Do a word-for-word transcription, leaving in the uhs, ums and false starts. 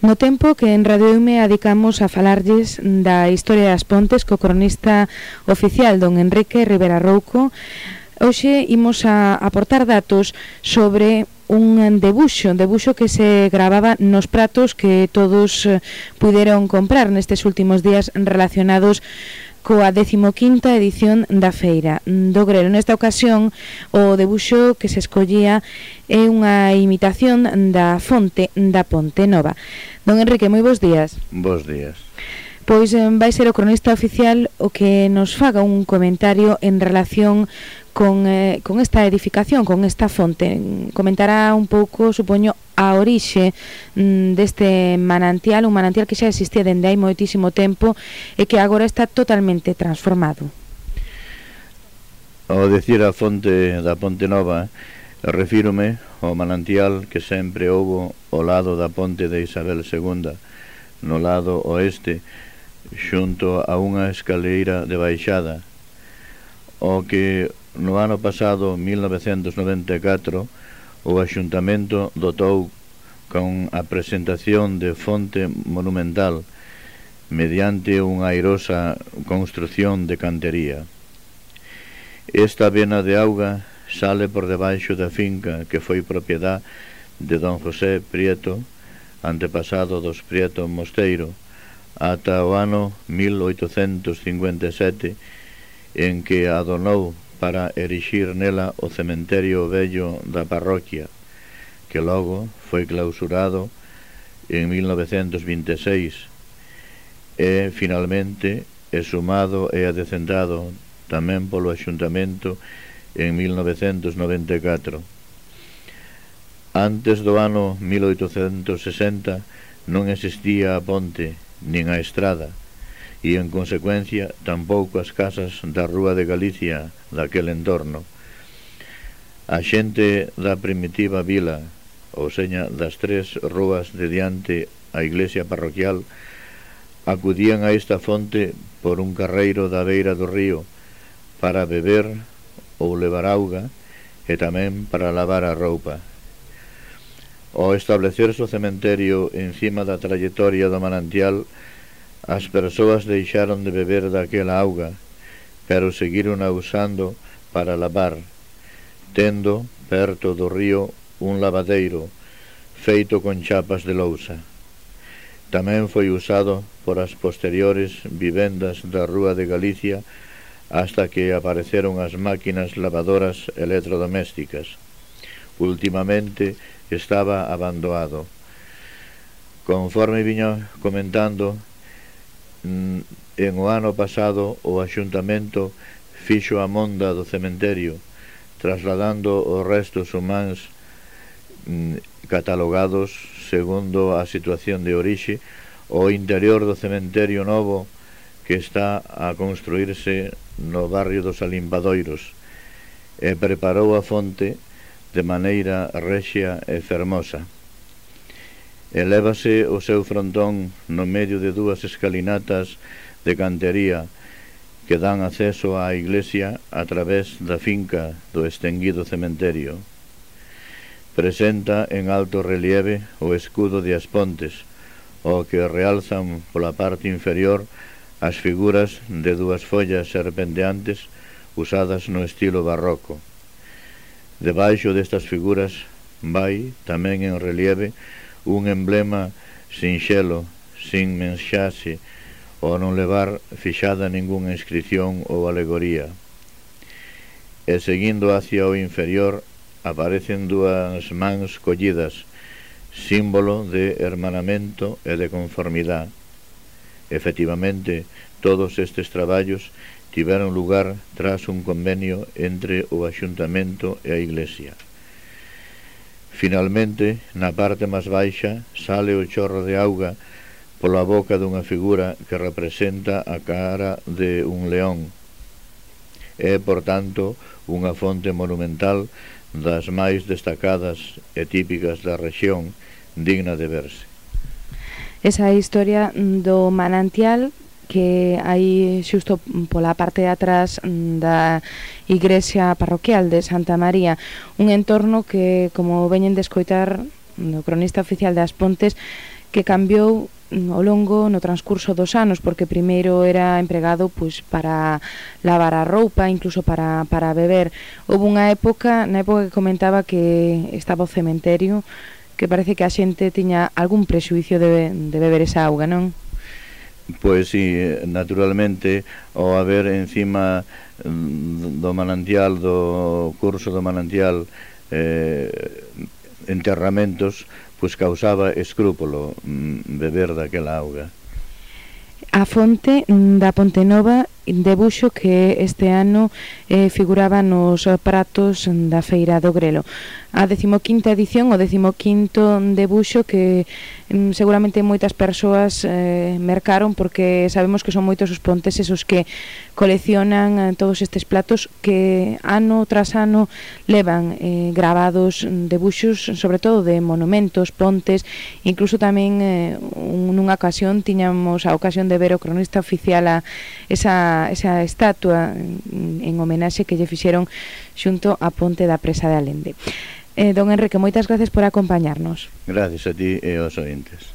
No tempo que en Radio Eume adicamos a falarlles da historia das Pontes co cronista oficial don Enrique Rivera Rouco, hoxe imos a aportar datos sobre un debuxo, un debuxo que se gravaba nos pratos que todos puderon comprar nestes últimos días relacionados coa decimoquinta edición da Feira do Grelo. Nesta ocasión, o debuxo que se escollía é unha imitación da fonte da Ponte Nova. Don Enrique, moi bons días. Bos días. Pois vai ser o cronista oficial o que nos faga un comentario en relación con, eh, con esta edificación, con esta fonte. Comentará un pouco, supoño, a orixe mm, deste manantial, un manantial que xa existía dende hai moitísimo tempo e que agora está totalmente transformado. Ao dicir a fonte da Ponte Nova, refírome ao manantial que sempre houbo ao lado da ponte de Isabel segunda, no lado oeste, xunto a unha escaleira de baixada, o que no ano pasado, mil novecentos noventa e catro, o Axuntamento dotou con a presentación de fonte monumental mediante unha airosa construción de cantería. Esta vena de auga sale por debaixo da finca que foi propiedad de don José Prieto, antepasado dos Prieto Mosteiro, ata o ano mil oitocentos cincuenta e sete, en que a donou para erixir nela o cementerio vello da parroquia, que logo foi clausurado en mil novecentos vinte e seis e finalmente exhumado e adecentado tamén polo Axuntamento en mil novecentos noventa e catro. Antes do ano mil oitocentos sesenta non existía a ponte nin a estrada, e en consecuencia tampouco as casas da Rúa de Galicia daquel entorno. A xente da primitiva vila, ou seña das tres rúas de diante a iglesia parroquial, acudían a esta fonte por un carreiro da beira do río para beber ou levar auga e tamén para lavar a roupa. Ao establecerse o cementerio encima da trayectoria do manantial, as persoas deixaron de beber daquela auga, pero seguiron usando para lavar, tendo perto do río un lavadeiro feito con chapas de lousa. Tamén foi usado por as posteriores vivendas da Rúa de Galicia hasta que apareceron as máquinas lavadoras electrodomésticas. Ultimamente estaba abandonado. Conforme viño comentando, en o ano pasado o Axuntamento fixo a monda do cementerio, trasladando os restos humanos catalogados segundo a situación de orixe ao interior do cementerio novo que está a construirse no barrio dos Alimbadoiros, e preparou a fonte de maneira rexia e fermosa. Elévase o seu frontón no medio de dúas escalinatas de cantería que dan acceso á iglesia a través da finca do estenguido cementerio. Presenta en alto relieve o escudo de As Pontes, o que realzan pola parte inferior as figuras de dúas follas serpenteantes usadas no estilo barroco. Debaixo destas figuras vai tamén en relieve un emblema sinxelo, sin mensaxe, ou non levar fixada ningunha inscripción ou alegoría. E seguindo hacia o inferior aparecen dúas mans collidas, símbolo de hermanamento e de conformidade. Efectivamente, todos estes traballos tiveron lugar tras un convenio entre o Axuntamento e a Iglesia. Finalmente, na parte máis baixa, sale o chorro de auga pola boca dunha figura que representa a cara de un león. É, por tanto, unha fonte monumental das máis destacadas e típicas da rexión, digna de verse. Esa historia do manantial que hai xusto pola parte de atrás da igrexa parroquial de Santa María, un entorno que, como veñen de escoitar no cronista oficial das Pontes, que cambiou ao longo no transcurso dos anos, porque primeiro era empregado pois para lavar a roupa, incluso para, para beber. Houve unha época, na época que comentaba que estaba o cementerio, que parece que a xente tiña algún prexuicio de, de beber esa auga, non? Pois si, naturalmente, ao haber encima do manantial, do curso do manantial, eh, enterramentos, pois causaba escrúpulo beber daquela auga. A fonte da Ponte Nova debuxo que este ano eh, figuraba nos pratos da Feira do Grelo. A decimoquinta edición, o decimoquinto debuxo que mm, seguramente moitas persoas eh, mercaron, porque sabemos que son moitos os ponteses os que coleccionan eh, todos estes platos que ano tras ano levan eh, gravados debuxos, sobre todo de monumentos, pontes, incluso tamén eh, nunha ocasión tiñamos a ocasión de ver o cronista oficial a esa, esa estatua en, en homenaxe que lle fixeron xunto á ponte da Presa de Alende. Eh, don Enrique, moitas gracias por acompañarnos. Gracias a ti e aos ointes.